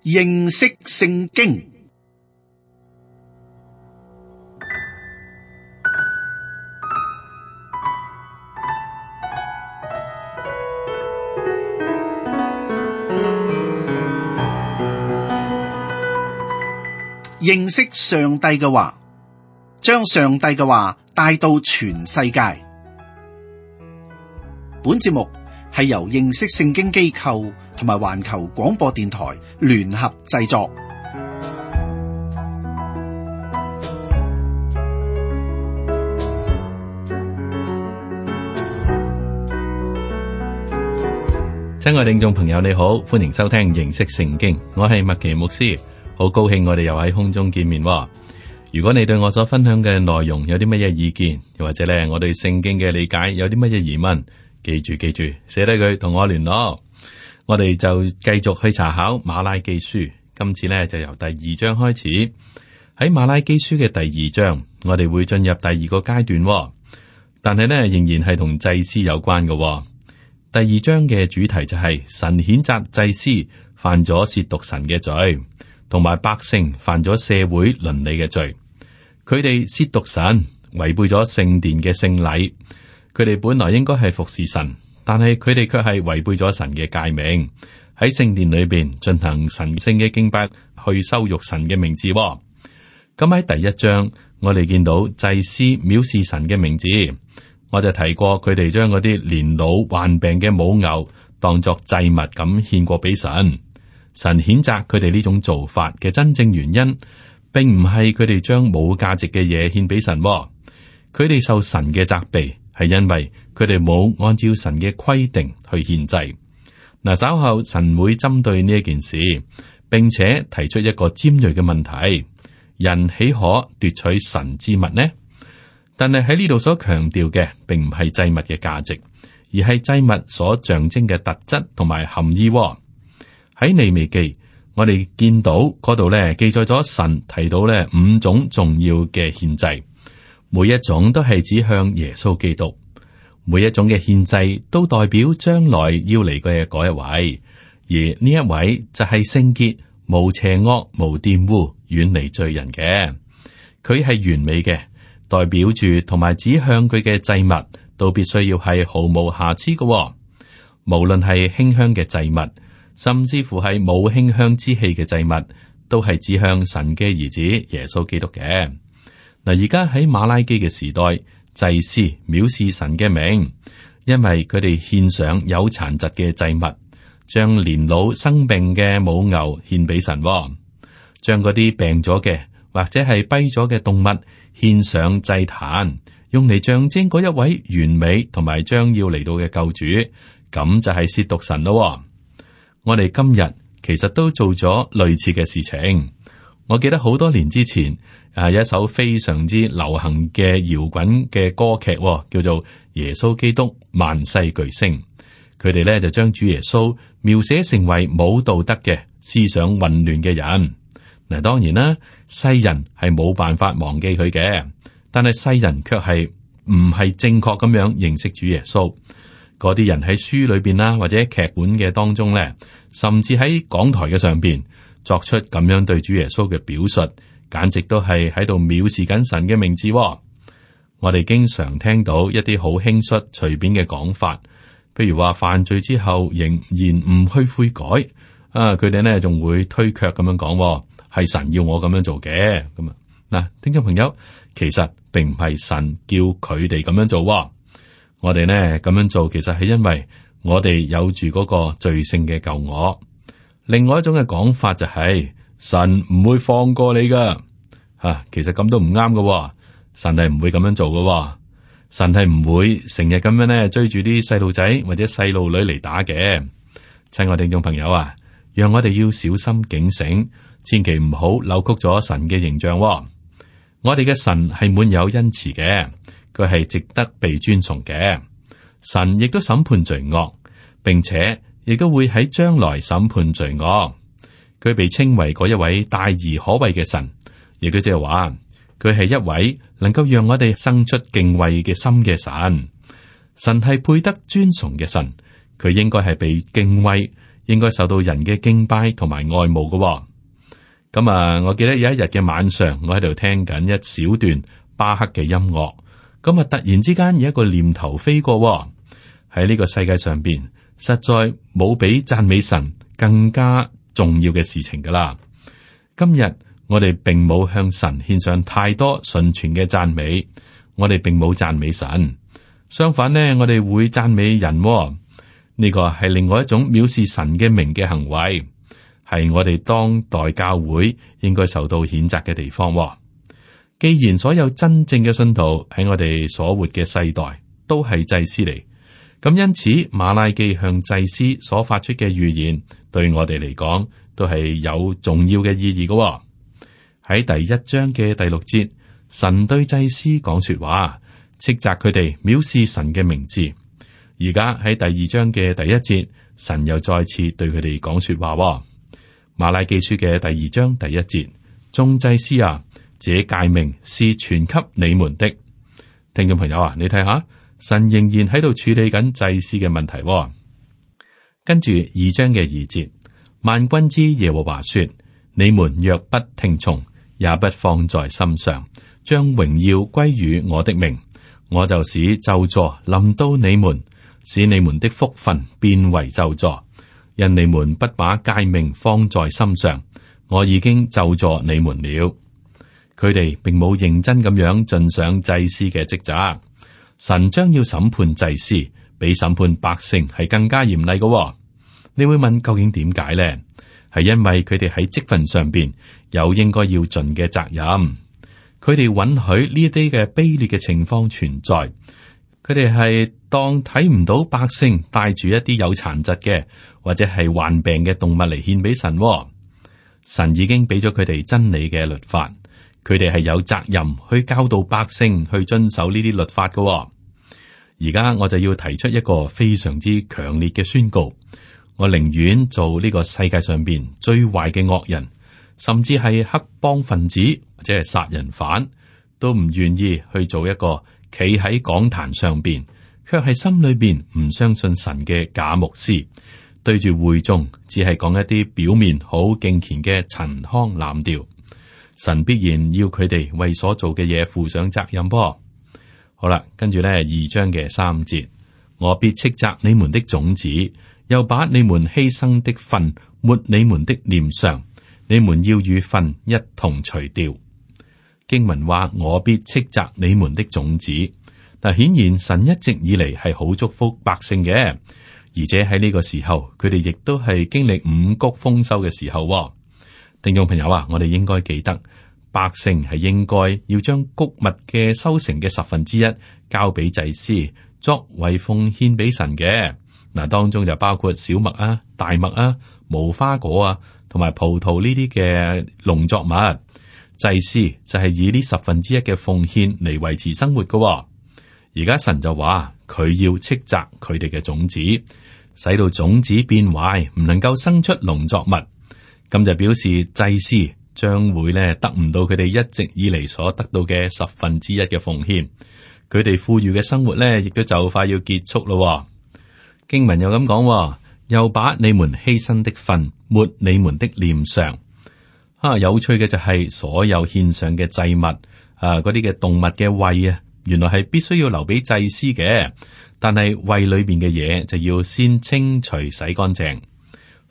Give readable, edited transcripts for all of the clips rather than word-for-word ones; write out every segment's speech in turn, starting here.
認識聖經。認識上帝嘅話，將上帝嘅話帶到全世界。本節目係由認識聖經機構同埋環球廣播電台聯合製作。親愛聽眾朋友，你好，歡迎收聽認識聖經，我係麥奇牧師。好高興我哋又喺空中見面。如果你對我所分享嘅內容有啲乜嘢意見，又或者咧我對聖經嘅理解有啲乜嘢疑問，記住寫低佢同我聯絡。我哋就繼續去查考馬拉基書，今次呢就由第2章開始。喺馬拉基書嘅第2章，我哋會進入第2個階段，但係呢仍然係同祭司有關嘅。第2章嘅主題就係神譴責祭司犯咗褻瀆神嘅罪，同埋百姓犯咗社會倫理嘅罪。佢哋褻瀆神，違背咗聖殿嘅聖禮。佢哋本來應該係服侍神，但係佢哋卻係違背咗神嘅誡命，喺聖殿裏邊進行神聖嘅敬拜，去羞辱神嘅名字。咁喺第1章，我哋見到祭司藐視神嘅名字。我就提過佢哋將嗰啲年老患病嘅母牛當作祭物咁獻過俾神。神譴責佢哋呢種做法嘅真正原因，並唔係佢哋將冇價值嘅嘢獻俾神。佢哋受神嘅責備，係因為佢哋冇按照神嘅規定去獻祭。嗱，稍後神會針對呢一件事，並且提出一個尖銳嘅問題：人豈可奪取神之物呢？但係喺呢度所強調嘅，並唔係祭物嘅價值，而係祭物所象徵嘅特質同埋含義。喺利未記，我哋見到嗰度咧記載咗神提到咧5種重要嘅獻祭，每一種都係指向耶穌基督，每一種嘅獻祭都代表將來要嚟嘅嗰一位，而呢一位就係聖潔、無邪惡、無玷污、遠離罪人嘅。佢係完美嘅，代表住同埋指向佢嘅祭物都必須要係毫無瑕疵嘅。無論係馨香嘅祭物，甚至乎係冇馨香之氣嘅祭物，都係指向神嘅兒子耶穌基督嘅。嗱，而家喺馬拉基嘅時代，祭司藐視神嘅名，因為佢哋獻上有殘疾嘅祭物，將年老生病嘅母牛獻俾神，將嗰啲病咗嘅或者係跛咗嘅動物獻上祭壇，用嚟象徵嗰一位完美同埋將要嚟到嘅救主，咁就係褻瀆神咯。我哋今日其實都做咗類似嘅事情。我記得好多年之前，有一首非常之流行嘅搖滾嘅歌劇，叫做《耶穌基督萬世巨星》。佢哋咧就將主耶穌描寫成為冇道德嘅、思想混亂嘅人。嗱，當然啦，世人係冇辦法忘記佢嘅，但係世人卻係唔係正確咁樣認識主耶穌。嗰啲人喺書裏邊啦，或者劇本嘅當中咧，甚至喺講台嘅上邊作出咁樣對主耶穌嘅表述，簡直都係喺度藐視緊神嘅名字。我哋經常聽到一啲好輕率、隨便嘅講法，譬如話犯罪之後仍然唔去悔改，佢哋呢仲會推卻咁樣講，係神要我咁樣做嘅。咁啊，嗱，聽眾朋友，其實並唔係神叫佢哋咁樣做。我哋呢咁樣做，其實係因為我哋有住嗰個罪性嘅舊我。另外一種嘅講法就係神唔會放過你噶，其實咁都唔啱噶。神係唔會咁樣做噶，神係唔會成日咁樣呢追住啲細路仔或者細路女嚟打嘅。親愛聽眾朋友啊，讓我哋要小心警醒，千祈唔好扭曲咗神嘅形象。我哋嘅神係滿有恩慈嘅。佢係值得被尊崇嘅。神亦都審判罪惡，並且亦都會喺將來審判罪惡。佢被稱為嗰一位大而可畏嘅神，亦都即係話佢係一位能夠讓我哋生出敬畏嘅心嘅神。神係配得尊崇嘅神，佢應該係被敬畏，應該受到人嘅敬拜同埋愛慕嘅。咁我記得有一日嘅晚上，我喺度聽緊一小段巴赫嘅音樂，咁突然之間有一個念頭飛過，喺呢個世界上邊，實在冇比讚美神更加重要嘅事情噶啦。今日我哋並冇向神獻上太多純全嘅讚美，我哋並冇讚美神，相反呢，我哋會讚美人。呢個係另外一種藐視神嘅名嘅行為，係我哋當代教會應該受到譴責嘅地方。既然所有真正嘅信徒喺我哋所活嘅世代都係祭司嚟，咁因此馬拉基向祭司所發出嘅預言，對我哋嚟講都係有重要嘅意義嘅。喺第一章嘅第6節，神對祭司講說話，斥責佢哋藐視神嘅名字。而家喺第2章嘅第1節，神又再次對佢哋講說話。馬拉基書嘅第2章第1節，眾祭司啊，這誡命是傳給你們的。聽眾朋友啊，你睇下，神仍然喺度處理緊祭司嘅問題。跟住2章嘅2節，萬軍之耶和華說：你們若不聽從，也不放在心上，將榮耀歸於我的名，我就使咒詛臨到你們，使你們的福分變為咒詛，因你們不把誡命放在心上，我已經咒詛你們了。佢哋並冇認真咁樣盡上祭司嘅職責，神將要審判祭司，比審判百姓係更加嚴厲嘅。你會問究竟點解呢？係因為佢哋喺職份上邊有應該要盡嘅責任，佢哋允許呢啲嘅卑劣嘅情況存在。佢哋係當睇唔到百姓帶住一啲有殘疾嘅或者係患病嘅動物嚟獻俾神。神已經俾咗佢哋真理嘅律法，佢哋係有責任去教導百姓去遵守呢啲律法嘅。而家我就要提出一個非常之強烈嘅宣告，我寧願做呢個世界上邊最壞嘅惡人，甚至係黑幫分子或者係殺人犯，都唔願意去做一個企喺講壇上邊，卻係心裏邊唔相信神嘅假牧師，對住會眾只係講一啲表面好敬虔嘅陳腔濫調。神必然要佢哋為所做嘅嘢負上責任噃。好啦，跟住呢2章嘅3節，我必斥責你們的種子，又把你們犧牲的分抹你們的臉上，你們要與分一同除掉。經文話我必斥責你們的種子，但顯然神一直以嚟係好祝福百姓嘅，而且喺呢個時候佢哋亦都係經歷五穀豐收嘅時候。聽眾朋友啊，我哋應該記得百姓係應該要將穀物嘅收成嘅1/10交俾祭司作為奉獻俾神嘅。嗱，當中就包括小麥啊、大麥啊、無花果啊同埋葡萄呢啲嘅農作物。祭司就係以呢1/10嘅奉獻嚟維持生活嘅。而家神就話佢要斥責佢哋嘅種子，使到種子變壞，唔能夠生出農作物。咁就表示祭司將會咧得唔到佢哋一直以嚟所得到嘅1/10嘅奉獻，佢哋富裕嘅生活咧亦都就快要結束咯。經文又咁講，又把你們犧牲的分抹你們的臉上。有趣嘅就係所有獻上嘅祭物，嗰啲嘅動物嘅胃啊，原來係必須要留俾祭司嘅，但係胃裏邊嘅嘢就要先清除洗乾淨。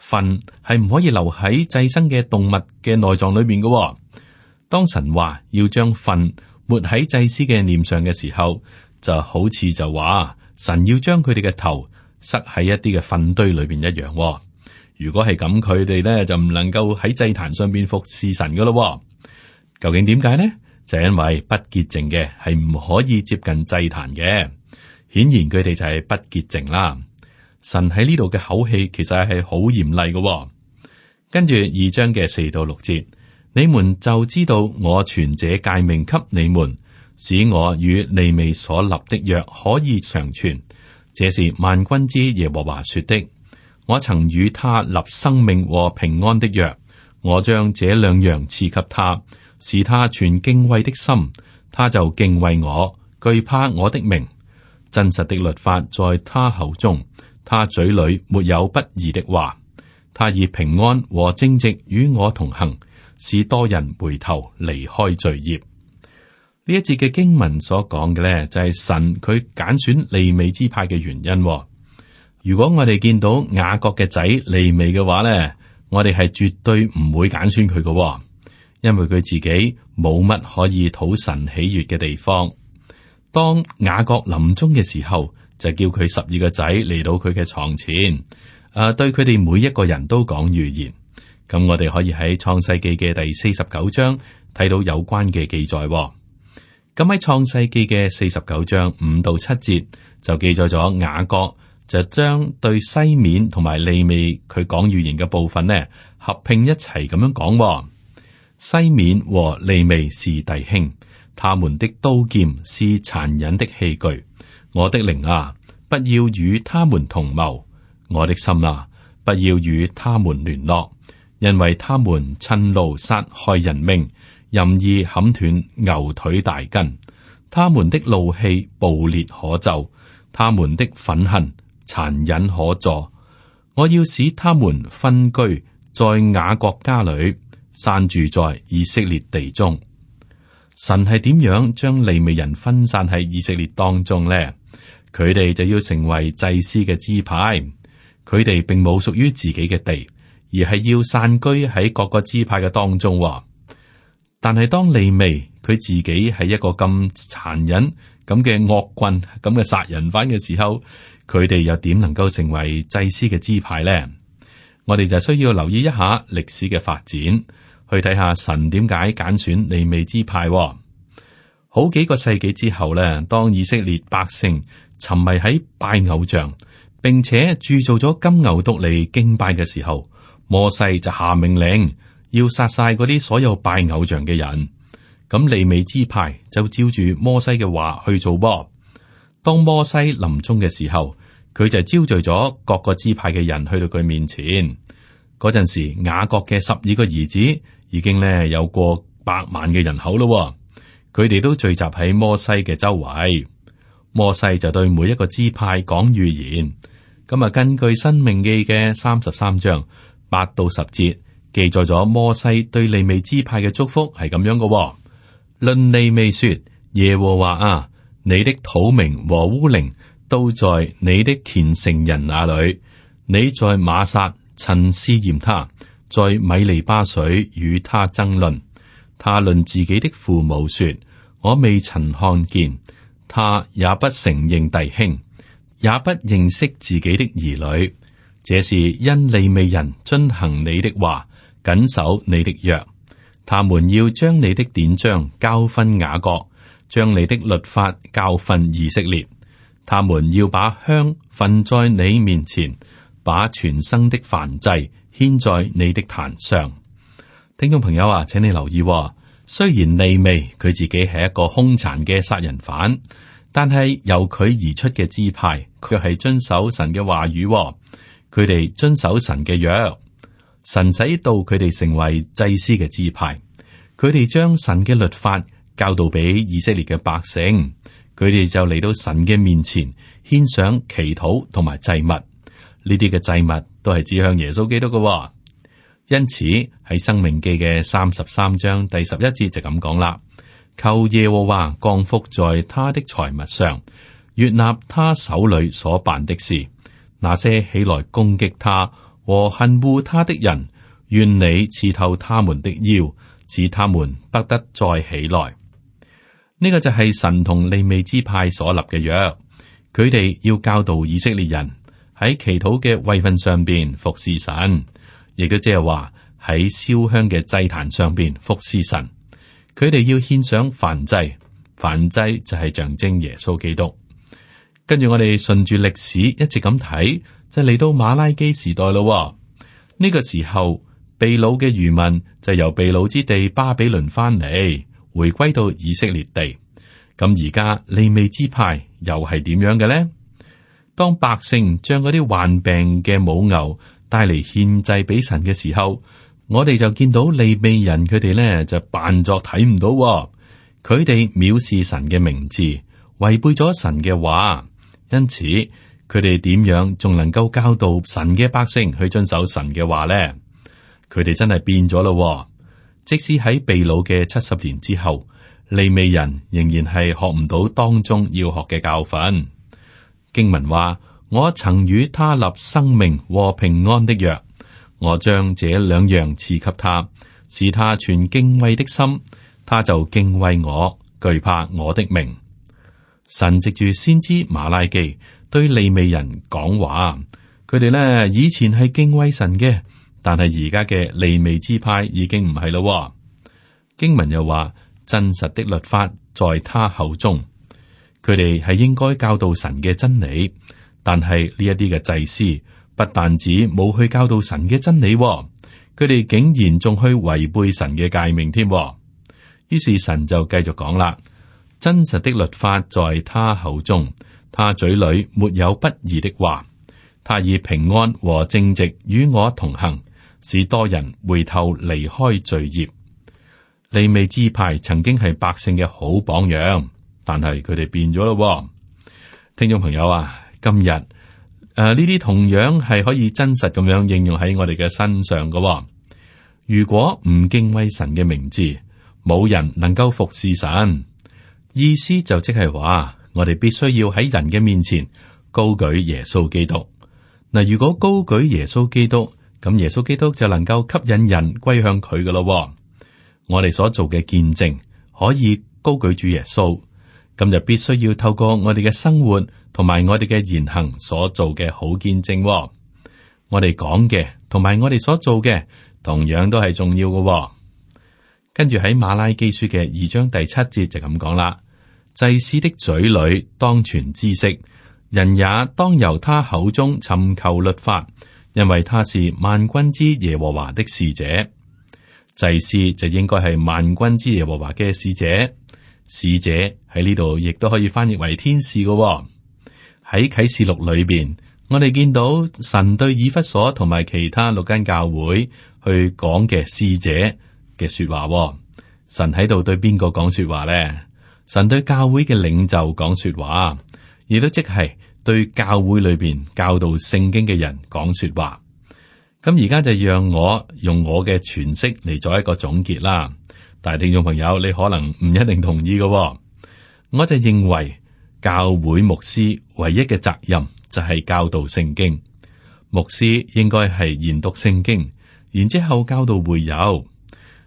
糞係唔可以留喺祭牲嘅動物嘅內臟裏邊嘅。當神話要將糞抹喺祭司嘅臉上嘅時候，就好似就話神要將佢哋嘅頭塞喺一啲嘅糞堆裏邊一樣。如果係咁，佢哋咧就唔能夠喺祭壇上邊服侍神噶咯。究竟點解呢？就因為不潔淨嘅係唔可以接近祭壇嘅，顯然佢哋就係不潔淨啦。神喺呢度嘅口氣其實係好嚴厲嘅。跟住2章嘅4到6節，你們就知道我傳這誡命給你們，使我與利未所立的約可以長存。這是萬軍之耶和華說的。我曾與他立生命和平安的約，我將這2樣賜給他，使他存敬畏的心，他就敬畏我，懼怕我的名。真實的律法在他口中，他嘴裏沒有不義的話。他以平安和正直與我同行，使多人回頭離開罪孽。呢一節嘅經文所講嘅咧，就係神佢揀選利未支派嘅原因。如果我哋見到雅各嘅仔利未嘅話咧，我哋係絕對唔會揀選佢嘅，因為佢自己冇乜可以討神喜悅嘅地方。當雅各臨終嘅時候，就叫佢12個仔嚟到佢嘅床前，對佢哋每一個人都講預言。咁我哋可以喺創世記嘅第49章睇到有關嘅記載。咁喺創世記嘅49章5到7節就記載咗雅各就將對西面同埋利未佢講預言嘅部分呢合併一齊咁樣講。西面和利未是弟兄，他們的刀劍是殘忍的器具。我的靈啊，不要與他們同謀；我的心啊，不要與他們聯絡，因為他們趁怒殺害人命，任意砍斷牛腿大筋。他們的怒氣暴烈可咒，他們的憤恨殘忍可助。我要使他們分居在雅各家裏，散住在以色列地中。神係點樣將利未人分散喺以色列當中呢？佢哋就要成為祭司嘅支派，佢哋並冇屬於自己嘅地，而係要散居喺各個支派嘅當中。但係當利未佢自己係一個咁殘忍咁嘅惡棍咁嘅殺人犯嘅時候，佢哋又點能夠成為祭司嘅支派呢？我哋就需要留意一下歷史嘅發展，去睇下神點解揀選利未支派。好幾個世紀之後呢，當以色列百姓沉迷喺拜偶像，並且鑄造咗金牛犢嚟敬拜嘅時候，摩西就下命令要殺晒嗰啲所有拜偶像嘅人。咁利未支派就照住摩西嘅話去做噃。當摩西臨終嘅時候，佢就招聚咗各個支派嘅人去到佢面前。嗰陣時，雅各嘅12個兒子已經咧有過100萬嘅人口咯。佢哋都聚集喺摩西嘅周圍。摩西就對每一個支派講預言。咁啊，根據申命記嘅33章8到10節記載咗摩西對利未支派嘅祝福係咁樣嘅。論利未說：耶和華啊，你的土明和烏靈都在你的虔誠人那裏。你在瑪撒曾試驗他，在米利巴水與他爭論。他論自己的父母說：我未曾看見。他也不承認弟兄，也不認識自己的兒女。這是因利未人遵行你的話，謹守你的約。他們要將你的典章教訓雅各，將你的律法教訓以色列。他們要把香焚在你面前，把全生的燔祭獻在你的壇上。聽眾朋友啊，請你留意，雖然利未佢自己係一個兇殘嘅殺人犯，但係由佢而出嘅支派，卻係遵守神嘅話語。佢哋遵守神嘅約。神使到佢哋成為祭司嘅支派，佢哋將神嘅律法教導俾以色列嘅百姓，佢哋就嚟到神嘅面前獻上祈禱同埋祭物。呢啲嘅祭物都係指向耶穌基督嘅。因此喺申命記嘅33章第11節就咁講啦：求耶和華降福在他的財物上，悅納他手裏所辦的事。那些起來攻擊他和恨惡他的人，願你刺透他們的腰，使他們不得再起來。呢個就係神同利未支派所立嘅約，佢哋要教導以色列人喺祈禱嘅位份上邊服侍神，亦都即係話喺燒香嘅祭壇上邊服侍神。佢哋要獻上燔祭，燔祭就係象徵耶穌基督。跟住我哋順住歷史一直咁睇，就嚟到馬拉基時代咯。呢個時候，被擄嘅餘民就由被擄之地巴比倫翻嚟，回歸到以色列地。咁而家利未支派又係點樣嘅呢？當百姓將嗰啲患病嘅母牛帶嚟獻祭俾神嘅時候，我哋就見到利未人佢哋呢就扮作睇唔到，佢哋藐視神嘅名字，違背咗神嘅話。因此，佢佢哋點樣仲能夠教導神嘅百姓去遵守神嘅話呢？佢哋真係變咗咯。即使喺被擄嘅70年之後，利未人仍然係學唔到當中要學嘅教訓。經文話：我曾與他立生命和平安的約，我將這兩樣賜給他，使他存敬畏的心，他就敬畏我，懼怕我的名。神藉住先知馬拉基對利未人講話，佢哋呢以前係敬畏神嘅，但係而家嘅利未支派已經唔係咯。經文又話：真實的律法在他口中，佢哋係應該教導神嘅真理，但係呢一啲嘅祭司不但止冇去教導神嘅真理，佢哋竟然仲去違背神嘅誡命添。於是神就繼續講啦：真實的律法在他口中，他嘴裏沒有不義的話，他以平安和正直與我同行，使多人回頭離開罪孽。利未支派曾經係百姓嘅好榜樣，但係佢哋變咗咯。聽眾朋友啊，今日呢啲同樣係可以真實咁樣應用喺我哋嘅身上㗎。如果唔敬畏神嘅名字，冇人能夠服侍神。意思就即係話，我哋必須要喺人嘅面前高舉耶穌基督。嗱，如果高舉耶穌基督，咁耶穌基督就能夠吸引人歸向佢㗎咯。我哋所做嘅見證可以高舉住耶穌，咁就必須要透過我哋嘅生活同埋我哋嘅言行所做嘅好見證。我哋講嘅同埋我哋所做嘅同樣都係重要嘅。跟住喺馬拉基書嘅2章第7節就咁講啦：祭司的嘴裏當存知識，人也當由他口中尋求律法，因為他是萬軍之耶和華的使者。祭司就應該係萬軍之耶和華嘅使者，使者喺呢度亦都可以翻譯為天使嘅。喺啟示錄裏邊，我哋見到神對以弗所同埋其他6間教會去講嘅使者嘅說話。神喺度對邊個講說話呢？神對教會嘅領袖講說話，亦都即係對教會裏邊教導聖經嘅人講說話。咁而家就讓我用我嘅詮釋嚟做一個總結啦。但係聽眾朋友，你可能唔一定同意嘅。我就認為教會牧師唯一嘅責任就係教導聖經。牧師應該係研讀聖經，然之後教導會友。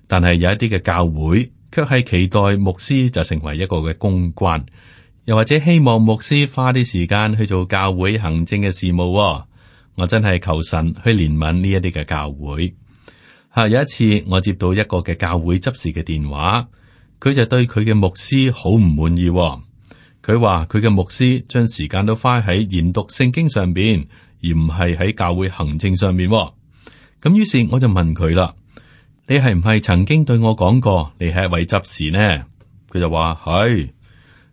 但係有一啲嘅教會卻係期待牧師就成為一個嘅公關，又或者希望牧師花啲時間去做教會行政嘅事務。我真係求神去憐憫呢一啲嘅教會。有一次我接到一個嘅教會執事嘅電話，佢就對佢嘅牧師好唔滿意。佢話佢嘅牧師將時間都花喺研讀聖經上邊，而唔係喺教會行政上邊。咁於是我就問佢啦：你係唔係曾經對我講過你係一位執事呢？佢就話係。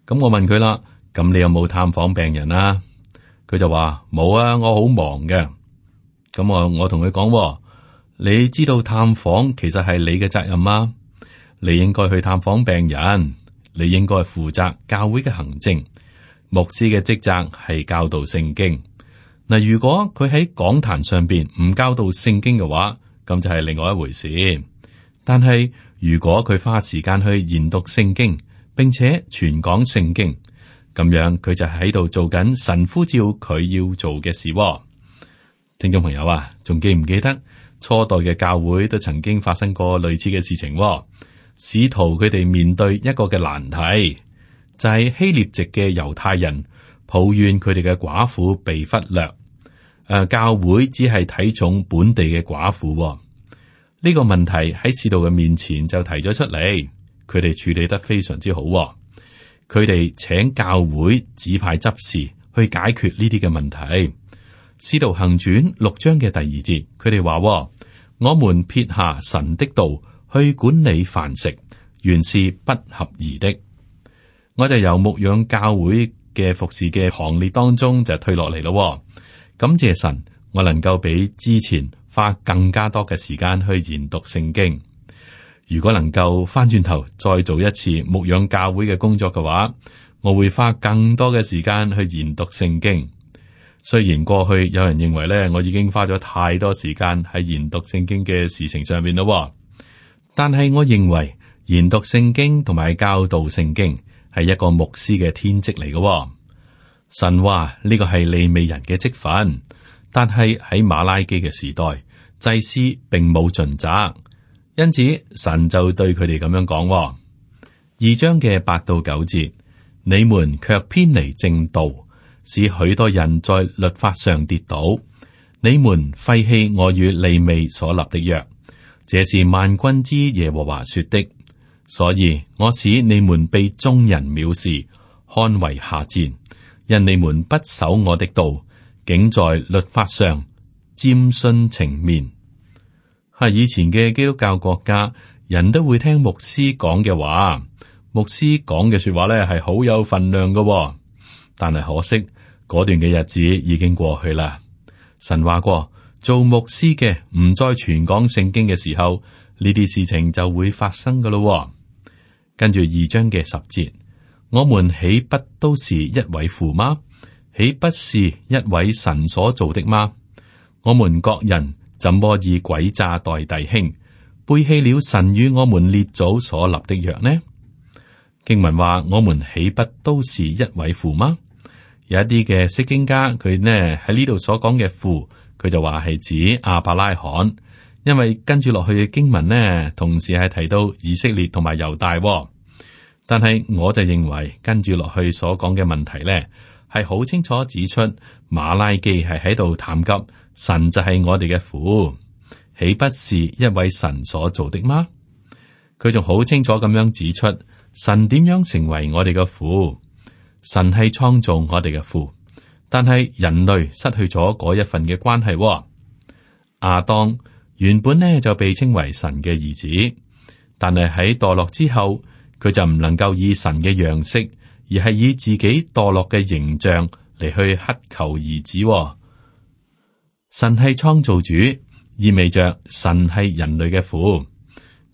咁我問佢啦：咁你有冇探訪病人啊？佢就話冇啊，我好忙嘅。咁我同佢講，你知道探訪其實係你嘅責任嗎？你應該去探訪病人，你應該負責教會嘅行政。牧師嘅職責係教導聖經。嗱，如果佢喺講壇上邊唔教導聖經嘅話，咁就係另外一回事。但係如果佢花時間去研讀聖經，並且傳講聖經，咁樣佢就喺度做緊神呼召佢要做嘅事。聽眾朋友啊，仲記唔記得初代嘅教會都曾經發生過類似嘅事情？使徒佢哋面對一個嘅難題，就係希臘籍嘅猶太人抱怨佢哋嘅寡婦被忽略。教會只係睇重本地嘅寡婦。呢個問題喺使徒嘅面前就提咗出嚟，佢哋處理得非常之好。佢哋請教會指派執事去解決呢啲嘅問題。使徒行傳6章嘅第2節，佢哋話：我們撇下神的道去管理飯食，原是不合宜的。我就由牧養教會嘅服侍嘅行列當中就退落嚟咯。感謝神，我能夠比之前花更加多嘅時間去研讀聖經。如果能夠翻轉頭再做一次牧養教會嘅工作嘅話，我會花更多嘅時間去研讀聖經。雖然過去有人認為咧，我已經花咗太多時間喺研讀聖經嘅事情上面咯，但係我認為研讀聖經同埋教導聖經係一個牧師嘅天職嚟嘅。神話呢個係利未人嘅職分，但係喺馬拉基嘅時代，祭司並冇盡責，因此神就對佢哋咁樣講。2章嘅8到9節，你們卻偏離正道，使許多人在律法上跌倒。你們廢棄我與利未所立的約，這是萬軍之耶和華說的。所以我使你們被眾人藐視，看為下賤，因你們不守我的道，竟在律法上沾徇情面。係以前嘅基督教國家，人都會聽牧師講嘅話，牧師講嘅說話咧係好有分量嘅。但係可惜嗰段嘅日子已經過去啦。神話過，做牧師嘅唔再傳講聖經嘅時候，呢啲事情就會發生噶咯。跟住2章嘅10節，我們豈不都是一位父嗎？豈不是一位神所造的嗎？我們各人怎麼以詭詐待弟兄，背棄了神與我們列祖所立的約呢？經文話，我們豈不都是一位父嗎？有一啲嘅釋經家，佢呢喺呢度所講嘅父，佢就話係指亞伯拉罕。因為跟住落去嘅經文呢，同時係提到以色列同埋猶大，但係我就認為跟住落去所講嘅問題呢，係好清楚指出馬拉基係喺度談及神就係我哋嘅父，豈不是一位神所做的嗎？佢仲好清楚咁樣指出神點樣成為我哋嘅父，神係創造我哋嘅父，但係人類失去咗嗰一份嘅關係。亞當原本呢就被稱為神嘅兒子，但係喺墮落之後，佢就唔能夠以神嘅樣式，而係以自己墮落嘅形象嚟去乞求兒子。神係創造主，意味着神係人類嘅父。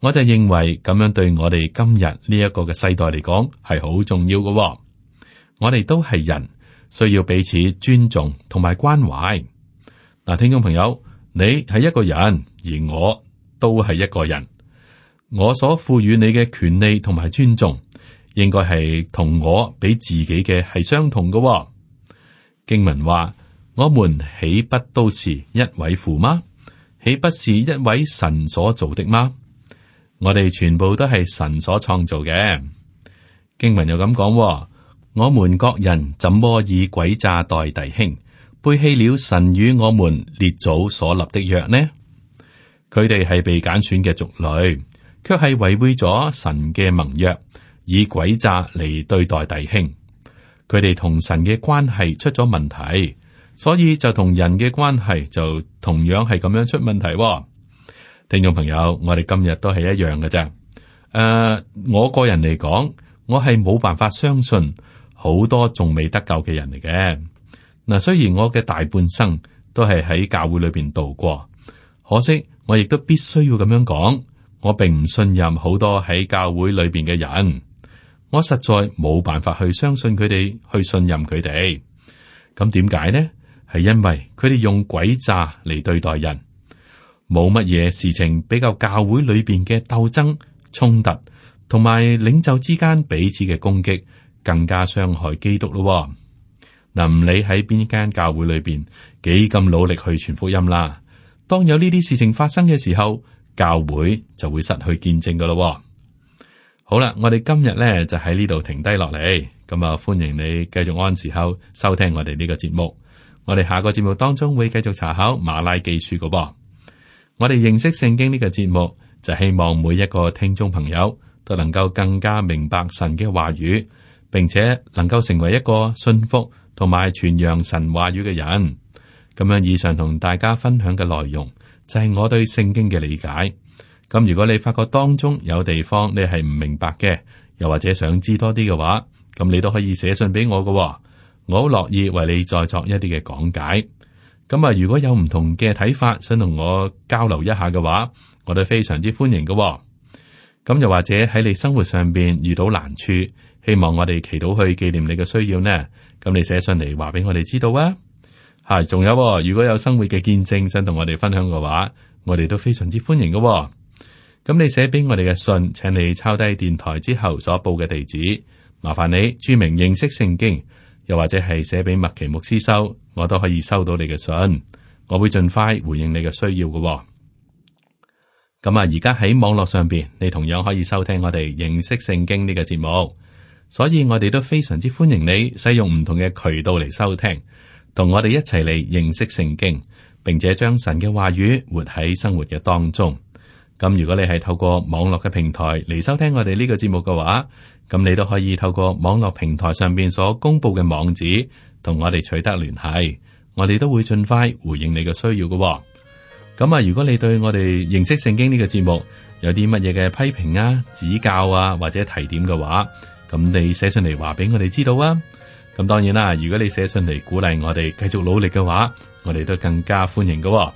我就認為咁樣對我哋今日呢一個嘅世代嚟講係好重要嘅。我哋都係人，需要彼此尊重同埋關懷。嗱，聽眾朋友，你係一個人，而我都係一個人。我所賦予你嘅權利同埋尊重，應該係同我俾自己嘅係相同嘅。經文話：我們豈不都是一位父嗎？豈不是一位神所造的嗎？我哋全部都係神所創造嘅。經文又咁講：我們各人怎麼以詭詐待弟兄，背棄了神與我們列祖所立的約呢？佢哋係被揀選嘅族類，卻係違背咗神嘅盟約，以詭詐嚟對待弟兄。佢哋同神嘅關係出咗問題，所以就同人嘅關係就同樣係咁樣出問題。聽眾朋友，我哋今日都係一樣嘅啫。我個人嚟講，我係冇辦法相信好多仲未得救嘅人嚟嘅。嗱，雖然我嘅大半生都係喺教會裏邊度過，可惜我亦都必須要咁樣講，我並唔信任好多喺教會裏邊嘅人，我實在冇辦法去相信佢哋，去信任佢哋。咁點解呢？係因為佢哋用詭詐嚟對待人，冇乜嘢事情比較教會裏邊嘅鬥爭、衝突同埋領袖之間彼此嘅攻擊更加傷害基督咯。嗱，唔理喺邊間教會裏邊幾咁努力去傳福音啦，當有呢啲事情發生嘅時候，教會就會失去見證噶咯。好啦，我哋今日咧就喺呢度停低落嚟，咁啊歡迎你繼續按時候收聽我哋呢個節目。我哋下個節目當中會繼續查考馬拉基書噶噃。我哋認識聖經呢個節目就希望每一個聽眾朋友都能夠更加明白神嘅話語，並且能夠成為一個信服同埋傳揚神話語嘅人。咁樣以上同大家分享嘅內容就係我對聖經嘅理解。咁如果你發覺當中有地方你係唔明白嘅，又或者想知多啲嘅話，咁你都可以寫信俾我嘅，我好樂意為你再作一啲嘅講解。咁啊，如果有唔同嘅睇法，想同我交流一下嘅話，我都非常之歡迎嘅。咁又或者喺你生活上邊遇到難處，希望我哋祈禱去紀念你嘅需要呢？咁你寫信嚟話俾我哋知道啊。仲有如果有生活嘅見證想同我哋分享嘅話，我哋都非常之歡迎嘅。咁你寫俾我哋嘅信，請你抄低電台之後所報嘅地址，麻煩你注明認識聖經，又或者係寫俾麥奇牧師收，我都可以收到你嘅信，我會盡快回應你嘅需要嘅。咁而家喺網絡上邊，你同樣可以收聽我哋認識聖經呢個節目，所以我哋都非常之歡迎你使用唔同嘅渠道嚟收聽，同我哋一齊嚟認識聖經，並且將神嘅話語活喺生活嘅當中。咁如果你係透過網絡嘅平台嚟收聽我哋呢個節目嘅話，咁你都可以透過網絡平台上邊所公布嘅網址同我哋取得聯繫，我哋都會盡快回應你嘅需要嘅。咁如果你對我哋認識聖經呢個節目有啲乜嘢嘅批評啊、指教啊或者提點嘅話，咁你寫信嚟話俾我哋知道啊。咁當然啦，如果你寫信嚟鼓勵我哋繼續努力嘅話，我哋都更加歡迎嘅。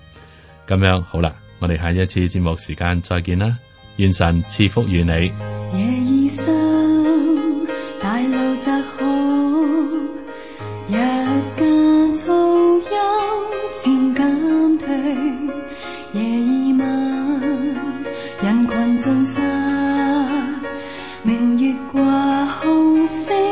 咁樣好啦。我哋下一次節目時間再見啦，願神賜福於你。夜已深，大路窄好，日間噪音漸減退，夜已晚，人群盡散，明月掛空星。